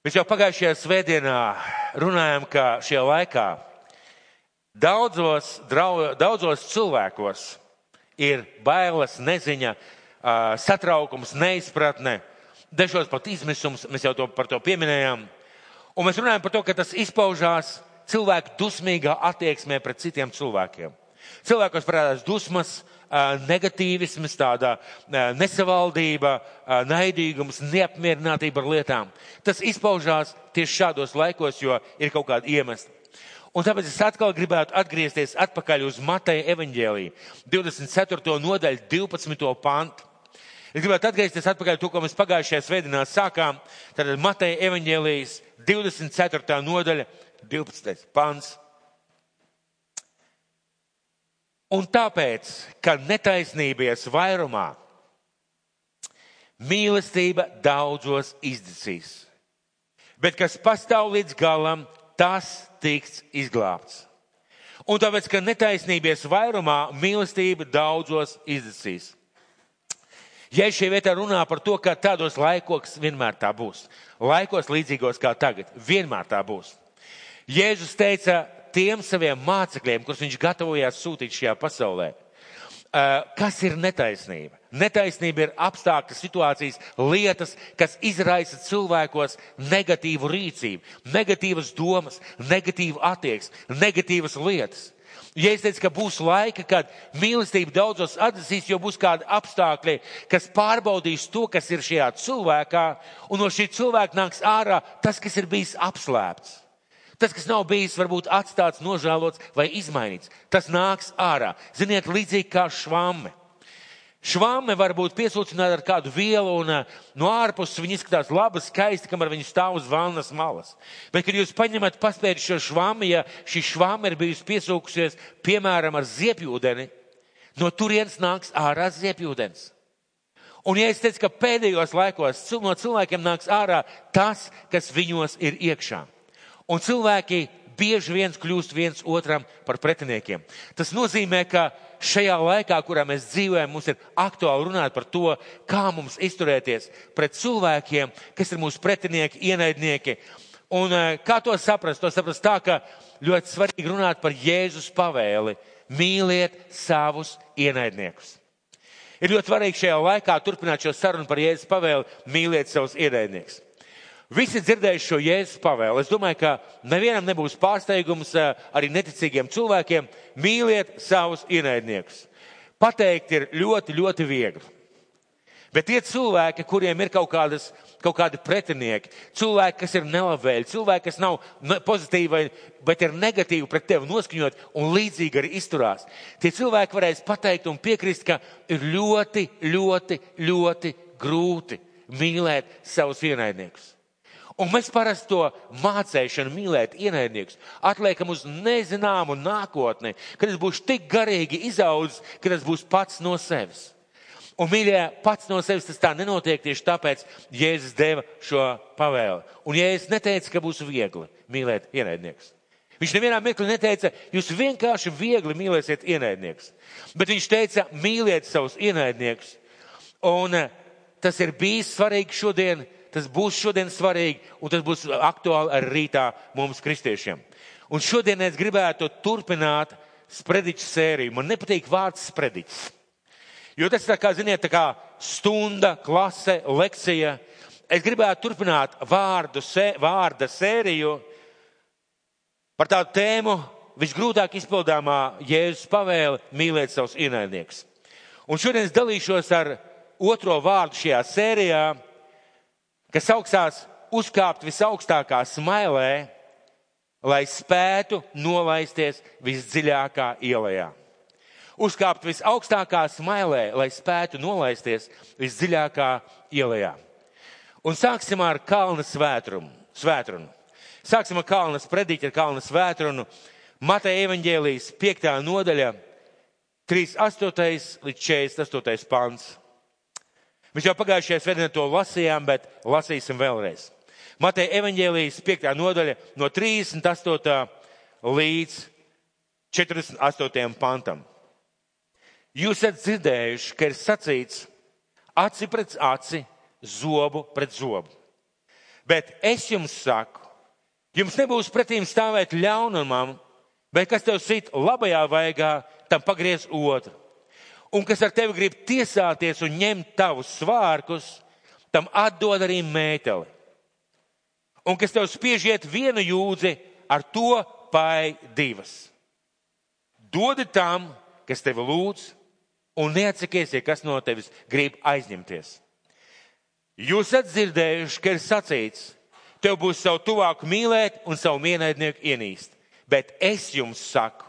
Mēs jau pagājušajā svētdienā runājam, ka šajā laikā daudzos cilvēkos ir bailes, neziņa, satraukums, neizpratne, dažos pat izmisums, mēs jau par to pieminējām. Un mēs runājam par to, ka tas izpaužās cilvēku dusmīgā attieksmē pret citiem cilvēkiem. Cilvēkos parādās dusmas, negatīvisms, tāda nesavaldība, naidīgums, neapmierinātība ar lietām. Tas izpaužās tieši šādos laikos, jo ir kaut kāda iemesla. Un tāpēc es atkal gribētu atgriezties atpakaļ uz Mateja evaņģēliju, 24. nodaļu, 12. pantu. Es gribētu atgriezties atpakaļ to, ko mēs pagājušajā svētdienā sākām. Tātad Mateja evaņģēlijas 24. nodaļa, 12. pants. Un tāpēc, ka netaisnības vairumā mīlestība daudzos izdzisīs, bet kas pastāv līdz galam, tas tiks izglābts. Un tāpēc, ka netaisnības vairumā mīlestība daudzos izdzisīs. Ja šī vietā runā par to, ka tādos laikos vienmēr tā būs, laikos līdzīgos kā tagad, vienmēr tā būs. Jēzus teica tiem saviem mācekļiem, kurus viņš gatavojās sūtīt šajā pasaulē, kas ir netaisnība. Netaisnība ir apstākļas, situācijas, lietas, kas izraisa cilvēkos negatīvu rīcību, negatīvas domas, negatīvu attieksmi, negatīvas lietas. Ja es teicu, ka būs laika, kad mīlestība daudzos atdzisīs, jo būs kādi apstākļi, kas pārbaudīs to, kas ir šajā cilvēkā, un no šī cilvēka nāks ārā tas, kas ir bijis apslēpts. Tas, kas nav bijis varbūt atstāts, nožēlots vai izmainīts, tas nāks ārā. Ziniet, līdzīgi kā švamme. Švamme var būt piesūcināta ar kādu vielu, un no ārpuses viņa izskatās laba, skaista, kamēr viņa stāv uz vannas malas. Bet, kad jūs paņemat paspēri šo švammi, ja šī švamme ir bijusi piesūkusies, piemēram, ar ziepjūdeni, no turienes nāks ārā ziepjūdens. Un ja es teicu, ka pēdējos laikos no cilvēkiem nāks ārā tas, kas viņos ir iekšā. Un cilvēki bieži viens kļūst viens otram par pretiniekiem. Tas nozīmē, ka šajā laikā, kurā mēs dzīvojam, mums ir aktuāli runāt par to, kā mums izturēties pret cilvēkiem, kas ir mūsu pretinieki, ienaidnieki. Un kā to saprast? To saprast tā, ka ļoti svarīgi runāt par Jēzus pavēli. Mīliet savus ienaidniekus. Ir ļoti svarīgi šajā laikā turpināt šo sarunu par Jēzus pavēli. Mīliet savus ienaidniekus. Visi dzirdējuši šo Jēzus pavēli. Es domāju, ka nevienam nebūs pārsteigums, arī neticīgiem cilvēkiem, mīliet savus ienaidniekus. Pateikt ir ļoti, ļoti viegli. Bet tie cilvēki, kuriem ir kaut kādi pretinieki, cilvēki, kas ir nelabvēļi, cilvēki, kas nav pozitīvi, bet ir negatīvi pret tevi noskaņot un līdzīgi arī izturās, tie cilvēki varēs pateikt un piekrist, ka ir ļoti, ļoti, ļoti grūti mīlēt savus ienaidniekus. Un mēs parasti to mācēšanu mīlēt ienaidniekus atliekam uz nezināmu nākotni, kad es būšu tik garīgi izaudzis, ka tas būs pats no sevis. Un, mīļie, pats no sevis tas tā nenotiek, tieši tāpēc Jēzus deva šo pavēli. Un Jēzus neteica, ka būs viegli mīlēt ienaidniekus. Viņš nevienā mirklī neteica, jūs vienkārši viegli mīlēsiet ienaidniekus. Bet viņš teica, mīliet savus ienaidniekus. Un tas ir bijis svarīgi šodien. Tas būs šodien svarīgi, un tas būs aktuāli arī rītā mums kristiešiem. Un šodien es gribētu turpināt sprediķu sēriju. Man nepatīk vārds sprediķis. Jo tas tā kā, ziniet, tā kā stunda, klase, lekcija. Es gribētu turpināt vārda sēriju par tādu tēmu visgrūtāk izpildāmā Jēzus pavēle mīlēt savus ienaidniekus. Un šodien es dalīšos ar otro vārdu šajā sērijā, kas sauksās uzkāpt visaugstākā smailē, lai spētu nolaisties visdziļākā ielajā. Uzkāpt visaugstākā smailē, lai spētu nolaisties visdziļākā ielajā. Un sāksim ar kalna svētrunu. Sāksim ar kalna sprediķi, ar kalna svētrunu. Mateja evaņģēlijas 5. nodaļa, 38. līdz 48. pants. Mēs jau pagājušajā svētdienā to lasījām, bet lasīsim vēlreiz. Mateja evaņģēlijas 5. nodaļa no 38. līdz 48. pantam. Jūs esat dzirdējuši, ka ir sacīts aci pret aci, zobu pret zobu. Bet es jums saku, jums nebūs pretīm stāvēt ļaunumam, bet kas tev sit labajā vaigā, tam pagriez otru. Un kas ar tevi grib tiesāties un ņemt tavus svārkus, tam atdod arī mēteli. Un kas tev spiež iet vienu jūdzi, ar to pai divas. Dodi tam, kas tevi lūdz, un neatsakies, ja kas no tevis grib aizņemties. Jūs esat dzirdējuši, ka ir sacīts, tev būs savu tuvāku mīlēt un savu ienaidnieku ienīst. Bet es jums saku,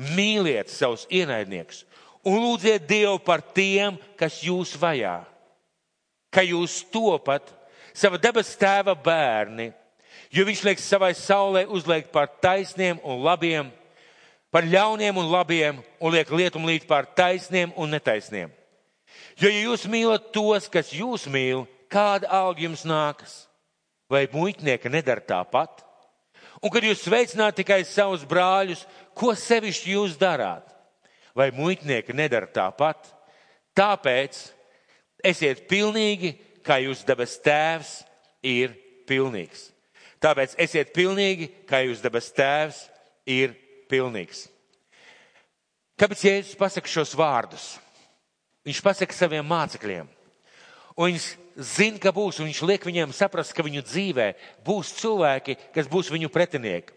mīliet savus ienaidniekus un lūdziet Dievu par tiem, kas jūs vajā, ka jūs topat sava debes tēva bērni, jo viņš liek savai saulē uzliekt par taisniem un labiem, par ļauniem un labiem, un liek lietumlīt par taisniem un netaisniem. Jo, ja jūs mīlat tos, kas jūs mīl, kāda alga jums nākas? Vai muitnieki nedara tāpat? Un kad jūs sveicināt tikai savus brāļus, ko sevišķi jūs darāt? Vai muitnieki nedara tāpat? Tāpēc esiet pilnīgi, kā jūs debes tēvs ir pilnīgs. Tāpēc esiet pilnīgi, kā jūs debes tēvs ir pilnīgs. Kāpēc Jēzus pasaka šos vārdus? Viņš pasaka saviem mācekļiem. Un viņš zina, ka būs, un viņš liek viņiem saprast, ka viņu dzīvē būs cilvēki, kas būs viņu pretinieki.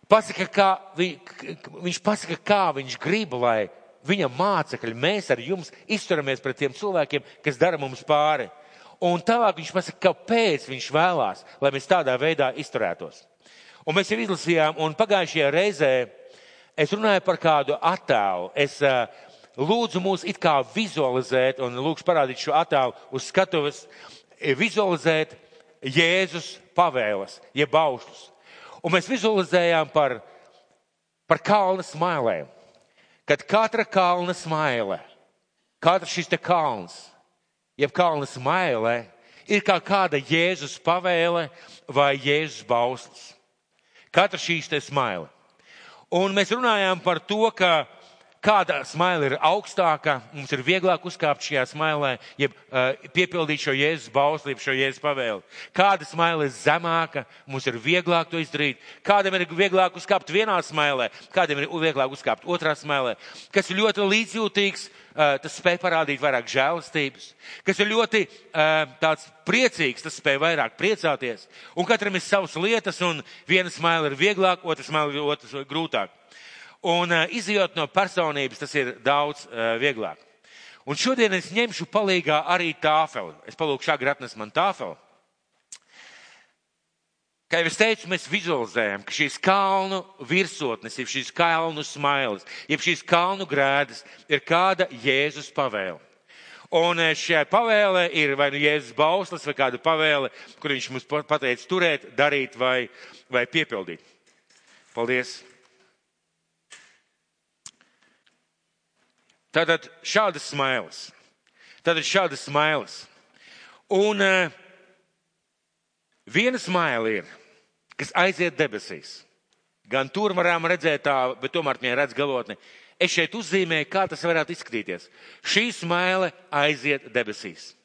Viņš pasaka, kā viņš grib, lai viņa mācekļi, mēs ar jums izturamies pret tiem cilvēkiem, kas dara mums pāri. Un tālāk viņš pasaka, kāpēc viņš vēlās, lai mēs tādā veidā izturētos. Un mēs jau izlasījām, un pagājušajā reizē es runāju par kādu attēlu. Es lūdzu mūs it kā vizualizēt, un lūkšu parādīt šo attēlu uz skatuves, vizualizēt Jēzus pavēles, jeb baušļus. Un mēs vizualizējām par kalna smailēm. Kad katra kalna smaile, katrs šis te kalns, jeb kalna smailē, ir kā kāda Jēzus pavēle vai Jēzus bauslis. Katra šīs te smaile. Un mēs runājām par to, ka kāda smaila ir augstāka, mums ir vieglāk uzkāpt šajā smailē, jeb piepildīt šo Jēzus bausli, jeb šo Jēzus pavēli. Kāda smaila ir zemāka, mums ir vieglāk to izdarīt. Kādam ir vieglāk uzkāpt vienā smailē, kādam ir vieglāk uzkāpt otrā smailē. Kas ir ļoti līdzjūtīgs, tas spēj parādīt vairāk žēlastības. Kas ir ļoti tāds priecīgs, tas spēj vairāk priecāties. Un katram ir savas lietas, un viena smaila ir vieglāk, otra smaila ir otrs grūtāk. Un izjūt no personības, tas ir daudz vieglāk. Un šodien es ņemšu palīgā arī tāfeli. Es palūkšu agri atnes man tāfeli. Kā jau es teicu, mēs vizualizējam, ka šīs kalnu virsotnes, jeb šīs kalnu smailes, jeb šīs kalnu grēdas ir kāda Jēzus pavēle. Un šajā pavēlē ir vai nu Jēzus bauslis vai kāda pavēle, kur viņš mums pateica turēt, darīt vai piepildīt. Paldies! Tātad šādas smailes. Un viena smaila ir, kas aiziet debesīs. Gan tur varam redzēt tā, bet tomēr viņa redz galotni. Es šeit uzzīmēju, kā tas varētu izskatīties. Šī smaila aiziet debesīs.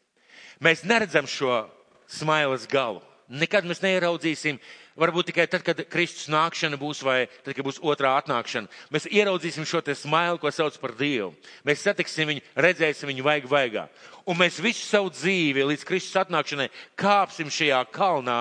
Mēs neredzam šo smailes galu. Nekad mēs neieraudzīsim, varbūt tikai tad, kad Kristus nākšana būs vai tad, kad būs otrā atnākšana. Mēs ieraudzīsim šo te smailu, ko sauc par Dievu. Mēs satiksim viņu, redzēsim viņu vaigā. Un mēs visu savu dzīvi līdz Kristus atnākšanai kāpsim šajā kalnā,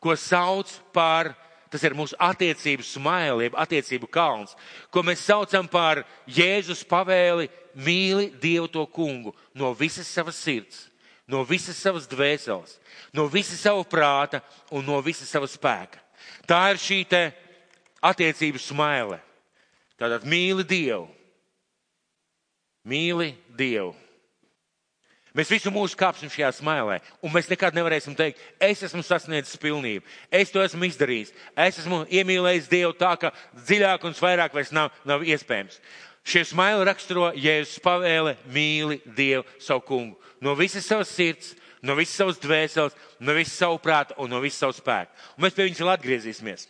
ko sauc par, tas ir mūsu attiecību smaili, attiecību kalns, ko mēs saucam par Jēzus pavēli mīli Dievu to kungu no visas savas sirds, no visas savas dvēseles, no visa sava prāta un no visa sava spēka. Tā ir šī te attiecību smaile. Tātad mīli Dievu. Mīli Dievu. Mēs visu mūžu kāpsim šajā smailē, un mēs nekad nevarēsim teikt, es esmu sasniedzis pilnību, es to esmu izdarījis, es esmu iemīlējis Dievu tā, ka dziļāk un vairāk vairs nav iespējams. Šie smaili raksturo Jēzus pavēle mīli Dievu savu kungu. No visas savas sirds, no visas savas dvēseles, no visas savu prāta un no visas savu spēku. Un mēs pie viņas vēl atgriezīsimies.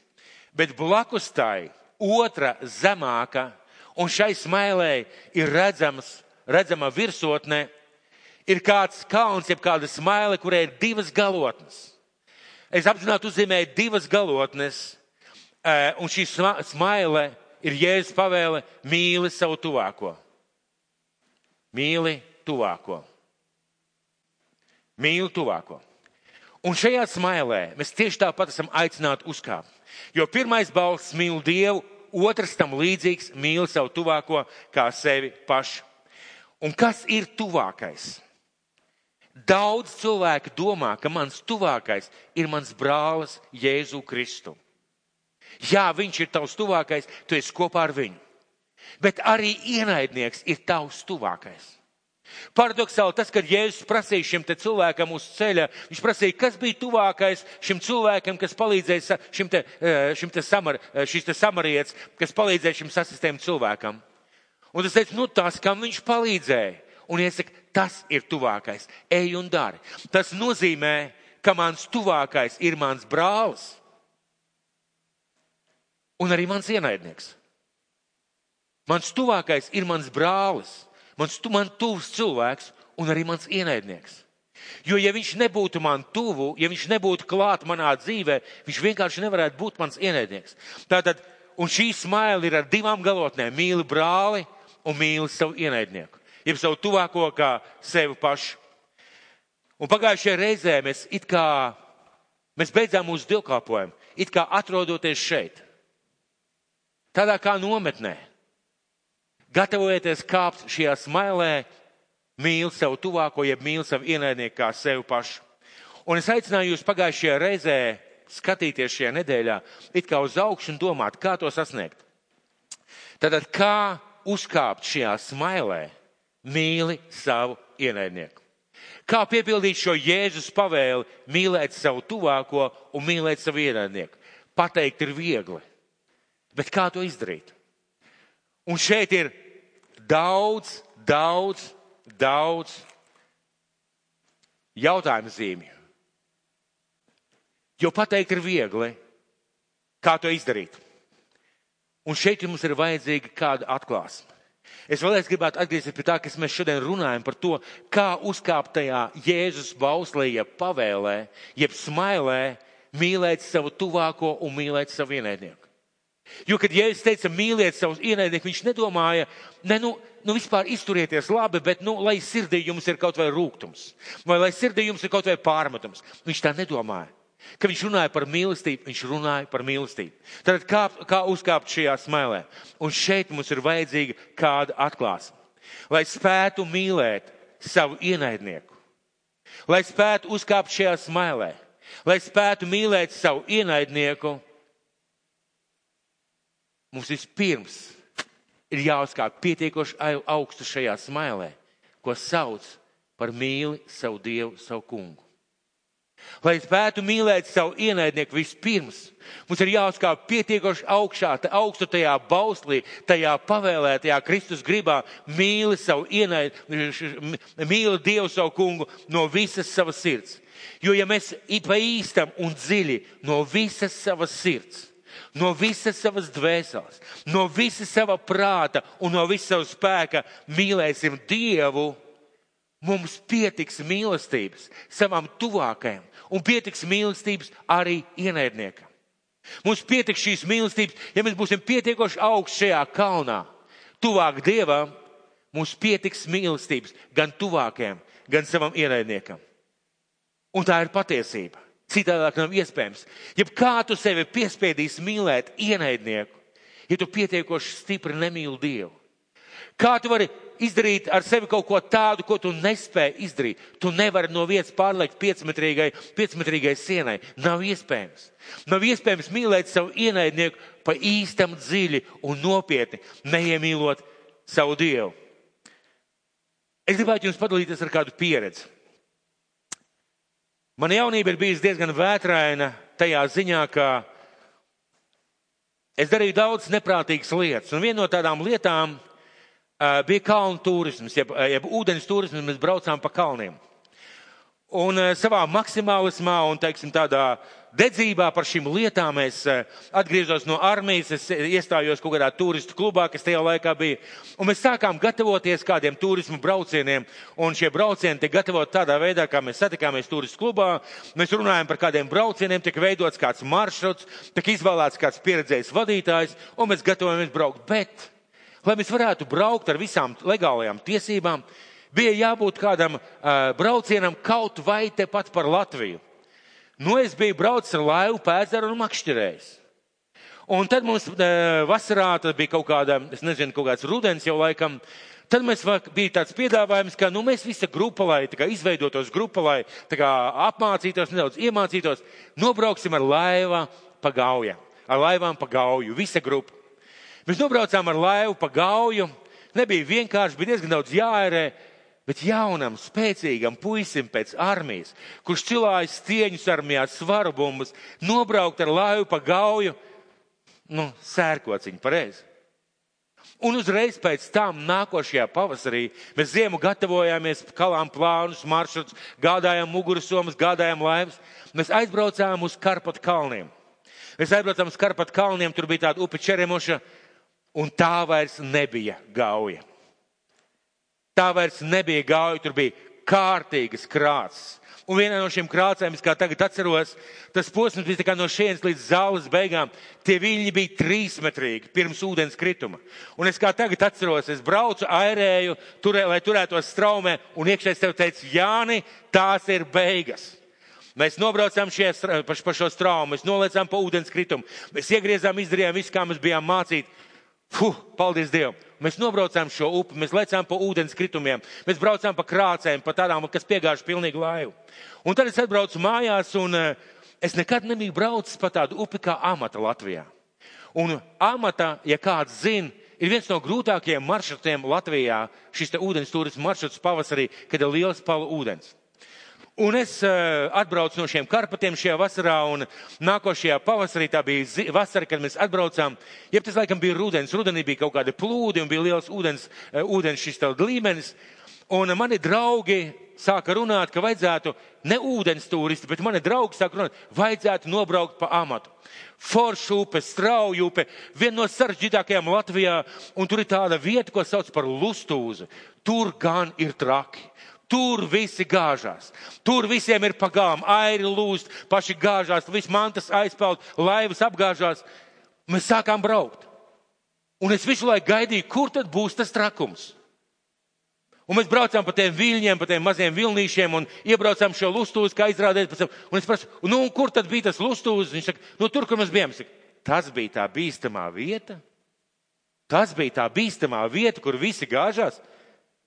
Bet blakus tai otra zemāka, un šai smailē ir redzama virsotne, Ir kāds kalns, jeb kāda smaile, kurai ir divas galotnes. Es apzināti uzzīmēju divas galotnes, un šī smaile ir Jēzus pavēle: mīli savu tuvāko. Mīli tuvāko. Mīli tuvāko. Un šajā smailē mēs tieši tāpat esam aicināti uzkāpt. Jo pirmais balsts mīl Dievu, otrs tam līdzīgs mīli savu tuvāko kā sevi pašu. Un kas ir tuvākais? Daudz cilvēku domā, ka mans tuvākais ir mans brālis Jēzu Kristu. Jā, viņš ir tavs tuvākais, tu esi kopā ar viņu. Bet arī ienaidnieks ir tavs tuvākais. Paradoksāli tas, kad Jēzus prasīja šim te cilvēkam uz ceļa, viņš prasīja, kas bija tuvākais šim cilvēkam, kas palīdzēja šis te samarietis, kas palīdzēja šim sasistēm cilvēkam. Un tas teica, tas, kam viņš palīdzēja. Un iesaka, tas ir tuvākais. Ej un dari. Tas nozīmē, ka mans tuvākais ir mans brālis. Un arī mans ienaidnieks. Mans tuvākais ir mans brālis. Man tuvs cilvēks un arī mans ienaidnieks. Jo ja viņš nebūtu man tuvu, ja viņš nebūtu klāt manā dzīvē, viņš vienkārši nevarētu būt mans ienaidnieks. Tātad, un šī smaila ir ar divām galotnēm. Mīli brāli un mīli savu ienaidnieku. Jeb savu tuvāko kā sevi pašu. Un pagājušajā reizē mēs beidzām mūsu dievkalpojumu, it kā atrodoties šeit. Tādā kā nometnē. Gatavojieties kāpt šajā smailē, mīli savu tuvāko, jeb mīli savu ienaidnieku kā sevi pašu. Un es aicināju jūs pagājušajā reizē skatīties šajā nedēļā, it kā uz augšu un domāt, kā to sasniegt. Tātad, kā uzkāpt šajā smailē, mīli savu ienaidnieku. Kā piepildīt šo Jēzus pavēli, mīlēt savu tuvāko un mīlēt savu ienaidnieku? Pateikt ir viegli, bet kā to izdarīt? Un šeit ir daudz jautājumu zīmju. Jo pateikt ir viegli, kā to izdarīt. Un šeit mums ir vajadzīga kāda atklāsme. Es vēlreiz gribētu atgriezties pie tā, kas mēs šodien runājam par to, kā uzkāpt tajā Jēzus bauslī, jeb pavēlē, jeb smailē, mīlēt savu tuvāko un mīlēt savu ienaidnieku. Jo, kad Jēzus teica mīliet savus ienaidnieku, viņš nedomāja, vispār izturieties labi, bet, lai sirdī jums ir kaut vai rūgtums, vai lai sirdī jums ir kaut vai pārmetums. Viņš tā nedomāja. Kad viņš runāja par mīlestību, viņš runāja par mīlestību. Tad kā uzkāpt šajā smailē? Un šeit mums ir vajadzīga kāda atklāsme. Lai spētu mīlēt savu ienaidnieku, lai spētu uzkāpt šajā smailē, lai spētu mīlēt savu ienaidnieku, mums vispirms ir jāuzkāp pietiekoši augstu šajā smailē, ko sauc par mīli savu Dievu, savu kungu. Lai spētu mīlēt savu ienaidnieku vispirms, mums ir jāuzkāp pietiekoši augstu tajā bauslī, tajā pavēlē, tajā Kristus gribā, mīli savu ienaidnieku, mīli Dievu savu kungu no visas savas sirds. Jo ja mēs pa īstam un dziļi no visas savas sirds, no visas savas dvēseles, no visas sava prāta un no visas sava spēka mīlēsim Dievu, mums pietiks mīlestības savam tuvākajam un pietiks mīlestības arī ienaidniekam. Mums pietiks šīs mīlestības, ja mēs būsim pietiekoši augstu šajā kalnā, tuvāk Dievam, mums pietiks mīlestības gan tuvākajam, gan savam ienaidniekam. Un tā ir patiesība. Citādāk nav iespējams. Ja kā tu sevi piespiedīsi mīlēt ienaidnieku, ja tu pietiekoši stipri nemīli Dievu? Kā tu vari izdarīt ar sevi kaut ko tādu, ko tu nespēji izdarīt? Tu nevari no vietas pārlekt 5-metrīgai sienai. Nav iespējams. Nav iespējams mīlēt savu ienaidnieku pa īstam dziļi un nopietni, neiemīlot savu Dievu. Es gribētu jums padalīties ar kādu pieredzi. Mana jaunība ir bijusi diezgan vētraina tajā ziņā, ka es darīju daudz neprātīgas lietas. Un viena no tādām lietām bija kalnu turisms, jeb ūdens turisms, mēs braucām pa kalniem. Un savā maksimālismā un, teiksim, tādā dedzībā par šīm lietām es atgriezos no armijas, es iestājos kaut kādā turistu klubā, kas tajā laikā bija, un mēs sākām gatavoties kādiem turismu braucieniem, un šie braucieni tiek gatavot tādā veidā, kā mēs satikāmies turistu klubā, mēs runājam par kādiem braucieniem, tiek veidots kāds maršruts, tiek izvēlēts kāds pieredzējis vadītājs, un mēs gatavojamies braukt, bet, lai mēs varētu braukt ar visām legālajām tiesībām, bija jābūt kādam braucienam kaut vai tepat par Latviju. Nu, es biju braucis ar laivu pēdzeru un makšķerējis. Un tad mums vasarā, tad bija kaut kāda, es nezinu, kaut kāds rudens jau laikam, tad mēs bija tāds piedāvājums, ka, nu, mēs visa grupa, lai tā kā izveidotos grupa, lai tā kā apmācītos, nedaudz iemācītos, nobrauksim ar laivām pa Gauju, visa grupa. Mēs nobraucām ar laivu pa Gauju, nebija vienkārši, bija diezgan daudz jāērē, bet jaunam, spēcīgam puisim pēc armijas, kurš cilājas stieņus armijā, svaru bumbas, nobraukt ar laivu pa Gauju, nu, sērkociņu, pareizi. Un uzreiz pēc tam nākošajā pavasarī mēs ziemu gatavojāmies, kalām plānus, maršruts, gādājām mugursomas, gādājām laivas. Mēs aizbraucām uz Karpatu kalniem. Tur bija tāda upe Čeremoša, un tā vairs nebija Gauja. Tur bija kārtīgas krāces. Un vienā no šiem krācēm, es kā tagad atceros, tas posms bija tā kā no šienes līdz zāles beigām. Tie viļņi bija 3-metrīgi pirms ūdens krituma. Un es kā tagad atceros, es braucu, airēju, lai turētos straumē, un iekšēs tev teica, Jāni, tās ir beigas. Mēs nobraucām pa šo straumu, mēs noliecām pa ūdens kritumu. Mēs iegriezām, izdarījām visu, kā mēs bijām mācīti. Paldies Dievam! Mēs nobraucām šo upi, mēs lecām pa ūdens kritumiem, mēs braucām pa krācēm, pa tādām, kas piegājuši pilnīgi laivu. Un tad es atbraucu mājās, un es nekad nebiju braucis pa tādu upi kā Amata Latvijā. Un Amata, ja kāds zina, ir viens no grūtākajiem maršrutiem Latvijā, šis te ūdens turismu maršruts pavasarī, kad ir liels palu ūdens. Un es atbraucu no šiem Karpatiem šajā vasarā, un nākošajā pavasarī, tā bija vasara, kad mēs atbraucām, jeb tas laikam bija rudens, rudenī bija kaut kādi plūdi un bija liels ūdens šis tā līmenis, un mani draugi sāka runāt, ka vajadzētu ne ūdens turisti, bet mani draugi sāka runāt, vajadzētu nobraukt pa Amatu. Foršu upe, Strauju upe, viena no sarežģītākajām Latvijā, un tur ir tāda vieta, ko sauc par Lustūzu. Tur gan ir traki. Tur visi gāžās. Tur visiem ir pagām, airi lūst, paši gāžās, viss mantas aizpeld, laivas apgāžās. Mēs sākām braukt. Un es visu laiku gaidīju, kur tad būs tas trakums. Un mēs braucām pa tiem viļņiem, pa tiem maziem vilnīšiem un iebraucām šo Lustūzu, kā izrādēt pēc tam. Un es prasu, nu, kur tad bija tas Lustūzes? Viņš saka, nu, tur, kur mēs bijām. Saka, tas bija tā bīstamā vieta? Tas bija tā bīstamā vieta, kur visi gāžās?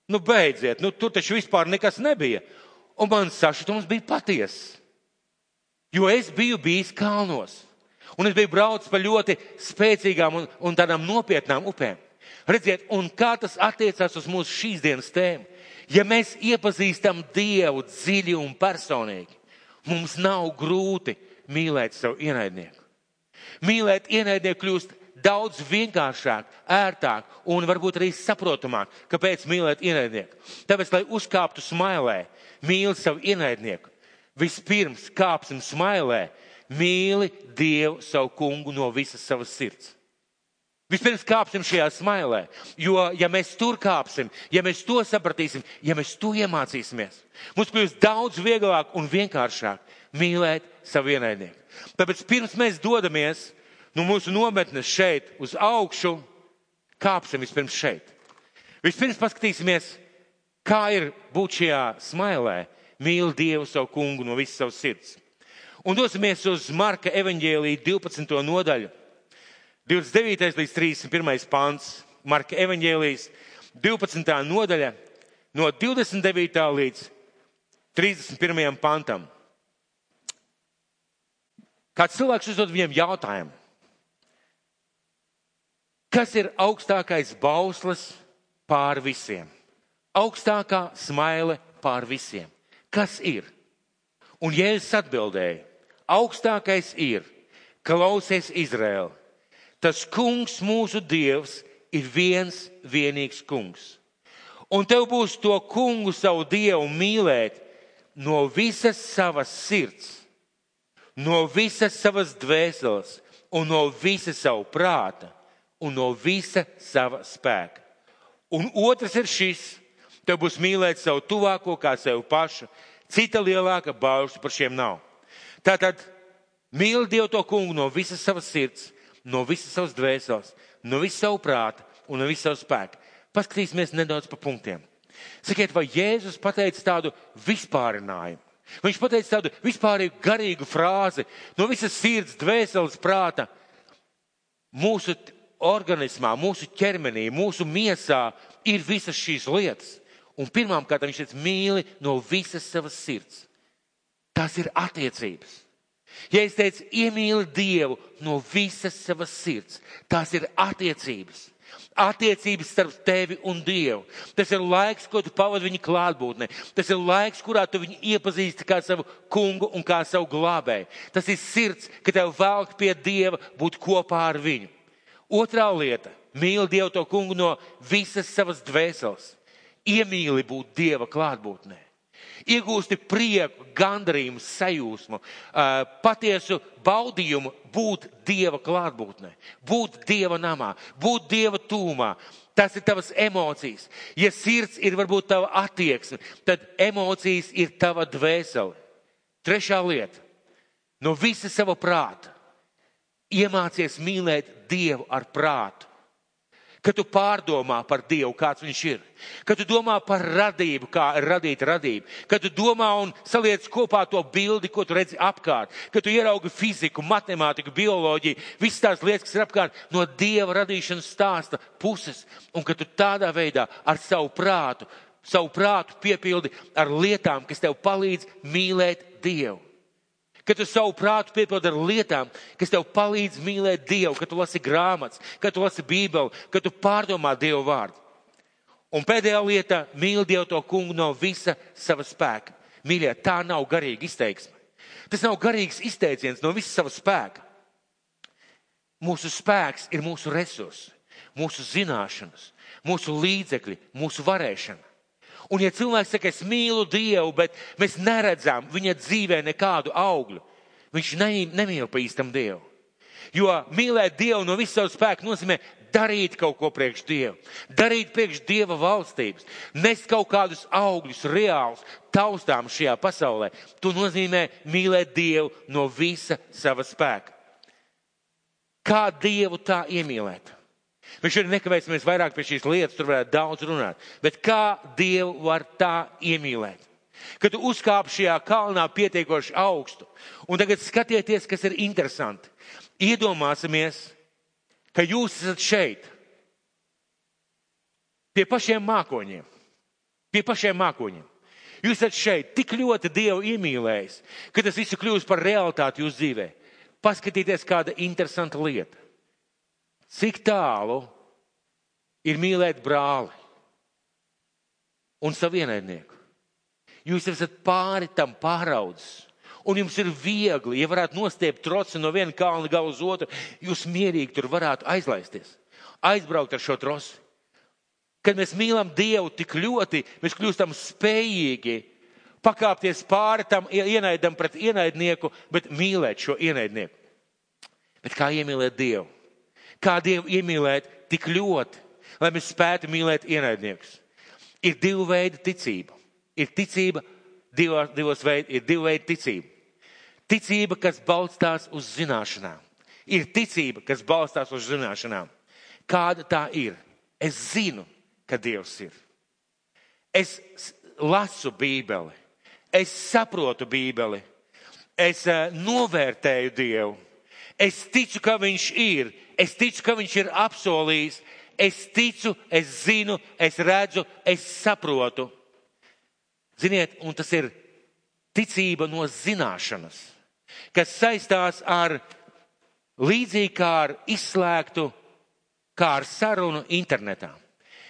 Nu, beidziet, nu, tur taču vispār nekas nebija. Un man sašutums bija patiess. Jo es biju bijis kalnos. Un es biju braucis pa ļoti spēcīgām un tādām nopietnām upēm. Redziet, un kā tas attiecās uz mūsu šīs dienas tēmu. Ja mēs iepazīstam Dievu dziļi un personīgi, mums nav grūti mīlēt savu ienaidnieku. Mīlēt ienaidnieku kļūst daudz vienkāršāk, ērtāk un varbūt arī saprotamāk, kāpēc mīlēt ienaidnieku. Tāpēc, lai uzkāptu smailē, mīli savu ienaidnieku. Vispirms kāpsim smailē, mīli Dievu savu kungu no visas savas sirds. Vispirms kāpsim šajā smailē, jo, ja mēs tur kāpsim, ja mēs to sapratīsim, ja mēs to iemācīsimies, mums kļūst daudz vieglāk un vienkāršāk mīlēt savu ienaidnieku. Tāpēc pirms mēs dodamies no mūsu nometnes šeit uz augšu, kāpsim vispirms šeit. Vispirms paskatīsimies, kā ir būt šajā smailē, mīli Dievu savu kungu no visas savas sirds. Un dosimies uz Marka evaņģēliju 12. nodaļu, 29. līdz 31. pants. Marka evaņģēlijas 12. nodaļa, no 29. līdz 31. pantam. Kāds cilvēks uzdod viņiem jautājumu. Kas ir augstākais bauslis pār visiem? Augstākā smaile pār visiem. Kas ir? Un Jēzus atbildēja, augstākais ir, klausies Izraēl, tas kungs mūsu Dievs ir viens vienīgs kungs. Un tev būs to kungu savu Dievu mīlēt no visas savas sirds, no visas savas dvēseles un no visa savu prāta un no visa sava spēka. Un otrs ir šis, tev būs mīlēt savu tuvāko kā sevi pašu, cita lielāka baušļa par šiem nav. Tātad mīli Dievu to kungu no visas savas sirds, no visas savas dvēseles, no visas savu prāta un no visas savu spēku. Paskatīsimies nedaudz pa punktiem. Sakiet, vai Jēzus pateica tādu vispārinājumu? Viņš pateica tādu vispārīgu garīgu frāzi no visas sirds, dvēseles, prāta. Mūsu organismā, mūsu ķermenī, mūsu miesā ir visas šīs lietas. Un pirmām kārtām viņš teica, mīli no visas savas sirds. Tas ir attiecības. Ja es teicu, iemīli Dievu no visas savas sirds, tās ir attiecības. Attiecības starp tevi un Dievu. Tas ir laiks, ko tu pavadi viņa klātbūtnē. Tas ir laiks, kurā tu viņu iepazīsti kā savu kungu un kā savu glābēju. Tas ir sirds, ka tev velk pie Dieva būt kopā ar viņu. Otrā lieta, mīli Dievu to kungu no visas savas dvēseles. Iemīli būt Dieva klātbūtnē. Iegūsti prieku, gandarījumu, sajūsmu, patiesu baudījumu būt Dieva klātbūtnē, būt Dieva namā, būt Dieva tūmā. Tas ir tavas emocijas. Ja sirds ir varbūt tava attieksme, tad emocijas ir tava dvēsele. Trešā lieta, no visa sava prāta iemācies mīlēt Dievu ar prātu. Kad tu pārdomā par Dievu, kāds viņš ir. Kad tu domā par radību, kā radīt radību. Kad tu domā un saliec kopā to bildi, ko tu redzi apkārt. Kad tu ieraugi fiziku, matemātiku, bioloģiju, visas tās lietas, kas ir apkārt no Dieva radīšanas stāsta puses. Un kad tu tādā veidā ar savu prātu piepildi ar lietām, kas tev palīdz mīlēt Dievu. Kad tu savu prātu piepildi ar lietām, kas tev palīdz mīlēt Dievu, kad tu lasi grāmatas, kad tu lasi Bībeli, kad tu pārdomā Dievu vārdu. Un pēdējā lieta, mīli Dievu to kungu no visa sava spēka. Mīļie, tā nav garīga izteiksme. Tas nav garīgs izteiciens no visa sava spēka. Mūsu spēks ir mūsu resursi, mūsu zināšanas, mūsu līdzekļi, mūsu varēšana. Un ja cilvēks saka, es mīlu Dievu, bet mēs neredzam viņa dzīvē nekādu augļu, viņš nemīl pa īstam Dievu. Jo mīlēt Dievu no visu savu spēku nozīmē darīt kaut ko priekš Dievu, darīt priekš Dieva valstības, nest kaut kādus augļus reālus, taustām šajā pasaulē. To nozīmē mīlēt Dievu no visa sava spēka. Kā Dievu tā iemīlēt? Mēs šodien nekavēsimies vairāk pie šīs lietas, tur varētu daudz runāt. Bet kā Dievu var tā iemīlēt? Kad tu uzkāp šajā kalnā pietiekoši augstu, un tagad skatieties, kas ir interesanti. Iedomāsimies, ka jūs esat šeit, pie pašiem mākoņiem. Jūs esat šeit, tik ļoti Dievu iemīlējis, ka tas visu kļūst par realitāti jūsu dzīvē. Paskatieties, kāda interesanta lieta. Cik tālu ir mīlēt brāli un savu ienaidnieku? Jūs esat pāri tam pāraudzis. Un jums ir viegli, ja varētu nostiept troci no viena kalna gala uz otru, jūs mierīgi tur varētu aizlaisties. Aizbraukt ar šo troci. Kad mēs mīlam Dievu tik ļoti, mēs kļūstam spējīgi pakāpties pāri tam ienaidam pret ienaidnieku, bet mīlēt šo ienaidnieku. Bet kā iemīlēt Dievu? Kā Dievu iemīlēt tik ļoti, lai mēs spētu mīlēt ienaidniekus? Ir divu veidu ticība. Ir ticība ir divu veidu ticība. Ticība, kas balstās uz zināšanām. Ir ticība, kas balstās uz zināšanām. Kāda tā ir? Es zinu, ka Dievs ir. Es lasu Bībeli. Es saprotu Bībeli. Es novērtēju Dievu. Es ticu, ka viņš ir. Es ticu, ka viņš ir apsolījis. Es ticu, es zinu, es redzu, es saprotu. Ziniet, un tas ir ticība no zināšanas, kas saistās ar līdzīgi kā ar izslēgtu, kā ar sarunu internetā.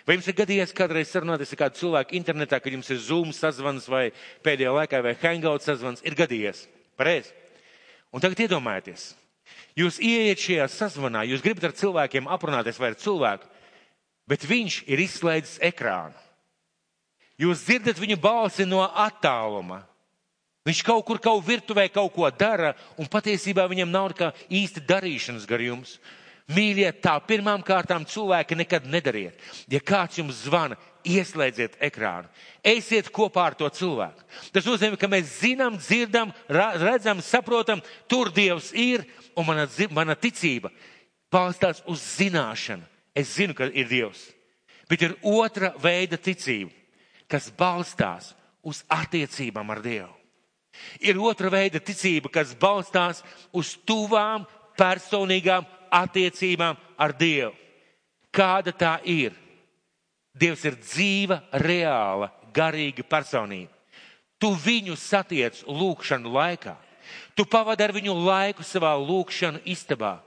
Vai jums ir gadījies kādreiz sarunāties ar kādu cilvēku internetā, kad jums ir Zoom sazvans vai pēdējā laikā vai Hangout sazvans? Ir gadījies. Pareizi. Un tagad iedomājieties. Jūs ieiet šajā sazvanā, jūs gribat ar cilvēkiem aprunāties vai ar cilvēku, bet viņš ir izslēdzis ekrānu. Jūs dzirdat viņu balsi no attāluma. Viņš kaut kur, kaut virtuvē kaut ko dara, un patiesībā viņam nav kā īsti darīšanas gar jums. Mīļie, tā pirmām kārtām cilvēki nekad nedariet. Ja kāds jums zvana, ieslēdziet ekrānu. Eisiet kopā ar to cilvēku. Tas nozīmē, ka mēs zinām, dzirdam, redzam, saprotam, tur Dievs ir, un mana ticība balstās uz zināšanu. Es zinu, ka ir Dievs. Bet ir otra veida ticība, kas balstās uz attiecībām ar Dievu. Ir otra veida ticība, kas balstās uz tuvām, personīgām attiecībām ar Dievu. Kāda tā ir? Dievs ir dzīva, reāla, garīga personība. Tu viņu satiec lūkšanu laikā. Tu pavadi ar viņu laiku savā lūkšanu istabā.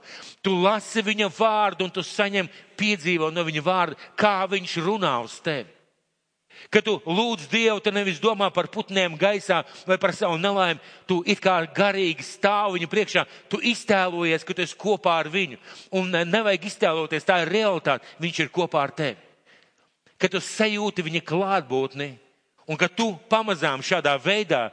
Tu lasi viņa vārdu un tu saņem piedzīvo no viņa vārda, kā viņš runā uz tevi. Kad tu lūdz Dievu, tu nevis domā par putniem gaisā vai par savu nelaimi. Tu it kā garīgi stāv viņa priekšā. Tu iztēlojies, ka tu esi kopā ar viņu. Un nevajag iztēloties, tā ir realitāte. Viņš ir kopā ar tevi. Kad tu sajūti viņa klātbūtni un kad tu pamazām šādā veidā